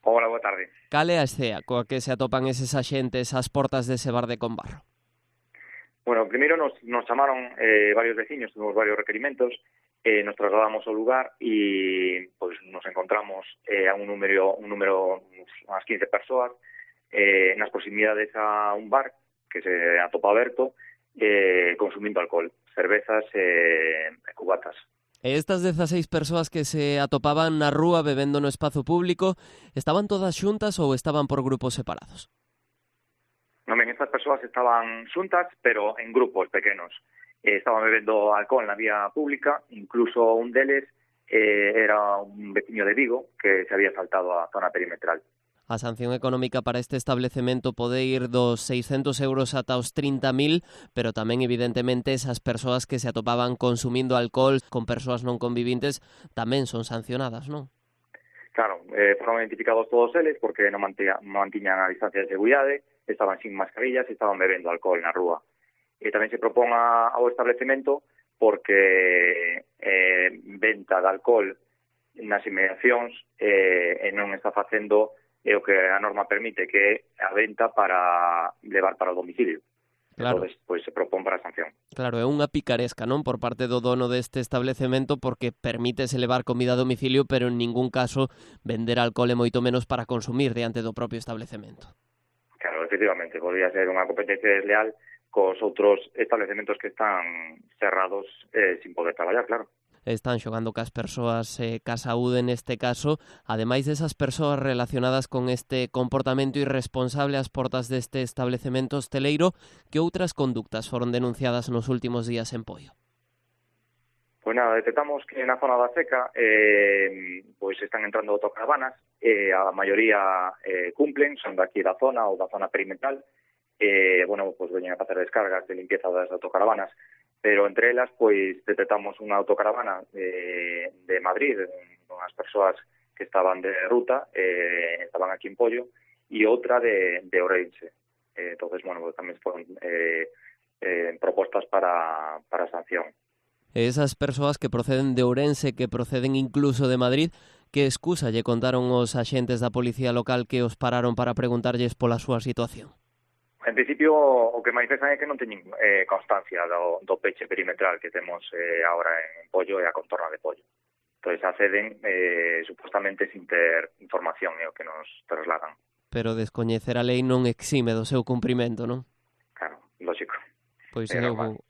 Hola, boa tarde. Cal é a escea coa que se atopan eses axentes ás portas dese bar de Combarro? Bueno, primeiro nos chamaron varios veciños, tuvimos varios requerimentos, nos trasladamos ao lugar e pues, nos encontramos a un número, unhas 15 persoas, nas proximidades a un bar que se atopa aberto, consumindo alcohol, cervezas e cubatas. E estas 16 persoas que se atopaban na rúa bebendo no espazo público, estaban todas xuntas ou estaban por grupos separados? Non ben, estas persoas estaban xuntas, pero en grupos pequenos. Estaban bebendo alcohol na vía pública, incluso un deles era un veciño de Vigo que se había saltado a zona perimetral. A sanción económica para este establecemento pode ir dos 600 euros ata os 30.000, pero tamén, evidentemente, esas persoas que se atopaban consumindo alcohol con persoas non convivintes tamén son sancionadas, non? Claro, foron identificados todos eles porque non mantiñan a distancia de seguridade, estaban sin mascarillas e estaban bebendo alcohol na rúa. E tamén se propón ao establecemento porque venta de alcohol nas inmediacións e non está facendo o que a norma permite, que é a venta para levar para o domicilio. Claro. Entonces, pues, se propón para a sanción. Claro, é unha picaresca, non, por parte do dono deste establecemento, porque permítese levar comida a domicilio, pero en ningún caso vender alcohol e moito menos para consumir diante do propio establecemento. Claro, efectivamente, podría ser unha competencia desleal cos outros establecementos que están cerrados sin poder traballar, claro. Están xogando cas persoas ca saúde neste caso, ademais desas persoas relacionadas con este comportamento irresponsable ás portas deste establecemento hosteleiro, que outras conductas foron denunciadas nos últimos días en Poio? Pois nada, detectamos que na zona da Seca pois están entrando autocaravanas, a maioría cumplen, son daqui da zona ou da zona perimetral, bueno, pois veñen a facer descargas de limpieza das autocaravanas, pero entre elas, pois, detectamos unha autocaravana de Madrid, unhas persoas que estaban de ruta, estaban aquí en Poio, e outra de Ourense. Entonces, bueno, tamén foron propostas para sanción. Esas persoas que proceden de Ourense, que proceden incluso de Madrid, que excusa lle contaron os axentes da policía local que os pararon para preguntarlles pola súa situación? En principio, o que manifestan é que non teñen constancia do peche perimetral que temos agora en Poio e a contorna de Poio. Entón, acceden supostamente sin ter información, é o que nos trasladan. Pero descoñecer a lei non exime do seu cumprimento, non? Claro, lógico. Pois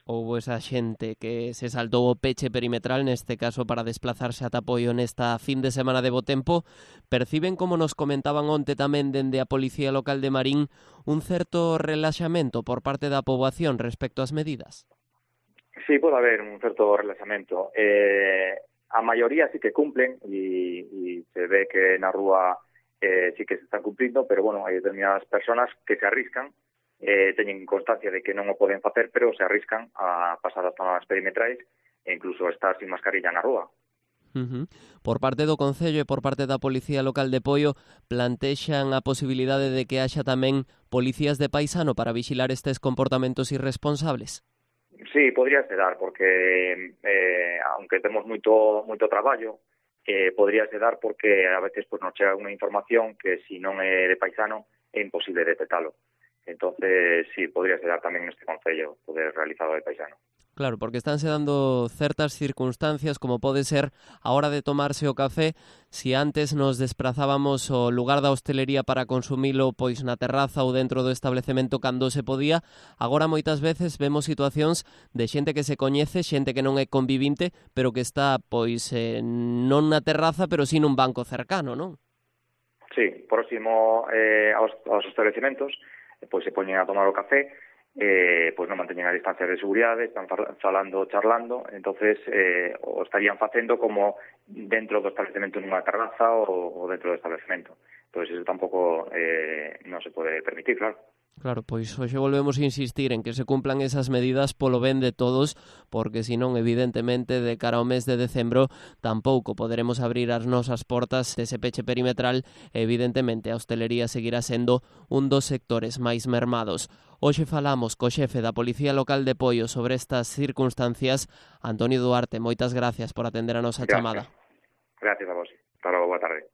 houbo esa xente que se saltou o peche perimetral, neste caso para desplazarse ata Poio nesta fin de semana de bo tempo. Perciben, como nos comentaban onte tamén dende a Policía Local de Marín, un certo relaxamento por parte da poboación respecto ás medidas? Sí, pode haber un certo relaxamento. A maioría sí que cumplen e se ve que na rúa sí que se están cumplindo, pero bueno, hai determinadas personas que se arriscan, teñen constancia de que non o poden facer, pero se arriscan a pasar as zonas perimetrais e incluso estar sin mascarilla na rúa. Por parte do Concello e por parte da Policía Local de Poio plantexan a posibilidade de que haxa tamén policías de paisano para vixilar estes comportamentos irresponsables? Sí, podría ser dar, porque aunque temos moito traballo, podría ser dar porque a veces pues, nos chega unha información que se non é de paisano é imposible detectalo. Entonces, sí, podría ser dar tamén neste Concello poder realizado de paisano. Claro, porque estánse dando certas circunstancias, como pode ser a hora de tomarse o café. Si antes nos desprazábamos ao lugar da hostelería para consumilo pois na terraza ou dentro do establecemento cando se podía, agora moitas veces vemos situacións de xente que se coñece, xente que non é convivinte, pero que está pois non na terraza, pero sí nun banco cercano, non? Sí, próximo aos estabelecementos, pois se poñen a tomar o café, pois non manteñen a distancia de seguridade, están falando, charlando, entonces o estarían facendo como dentro do establecemento nunha terraza ou dentro do establecemento. Pois eso tampouco non se pode permitir, claro. Claro, pois hoxe volvemos a insistir en que se cumplan esas medidas polo ben de todos, porque senón, evidentemente, de cara ao mes de decembro tampouco poderemos abrir as nosas portas dese peche perimetral e, evidentemente, a hostelería seguirá sendo un dos sectores máis mermados. Hoxe falamos co xefe da Policía Local de Poio sobre estas circunstancias. Antonio Duarte, moitas gracias por atender a nosa chamada. Gracias a vos. Hasta logo, boa tarde.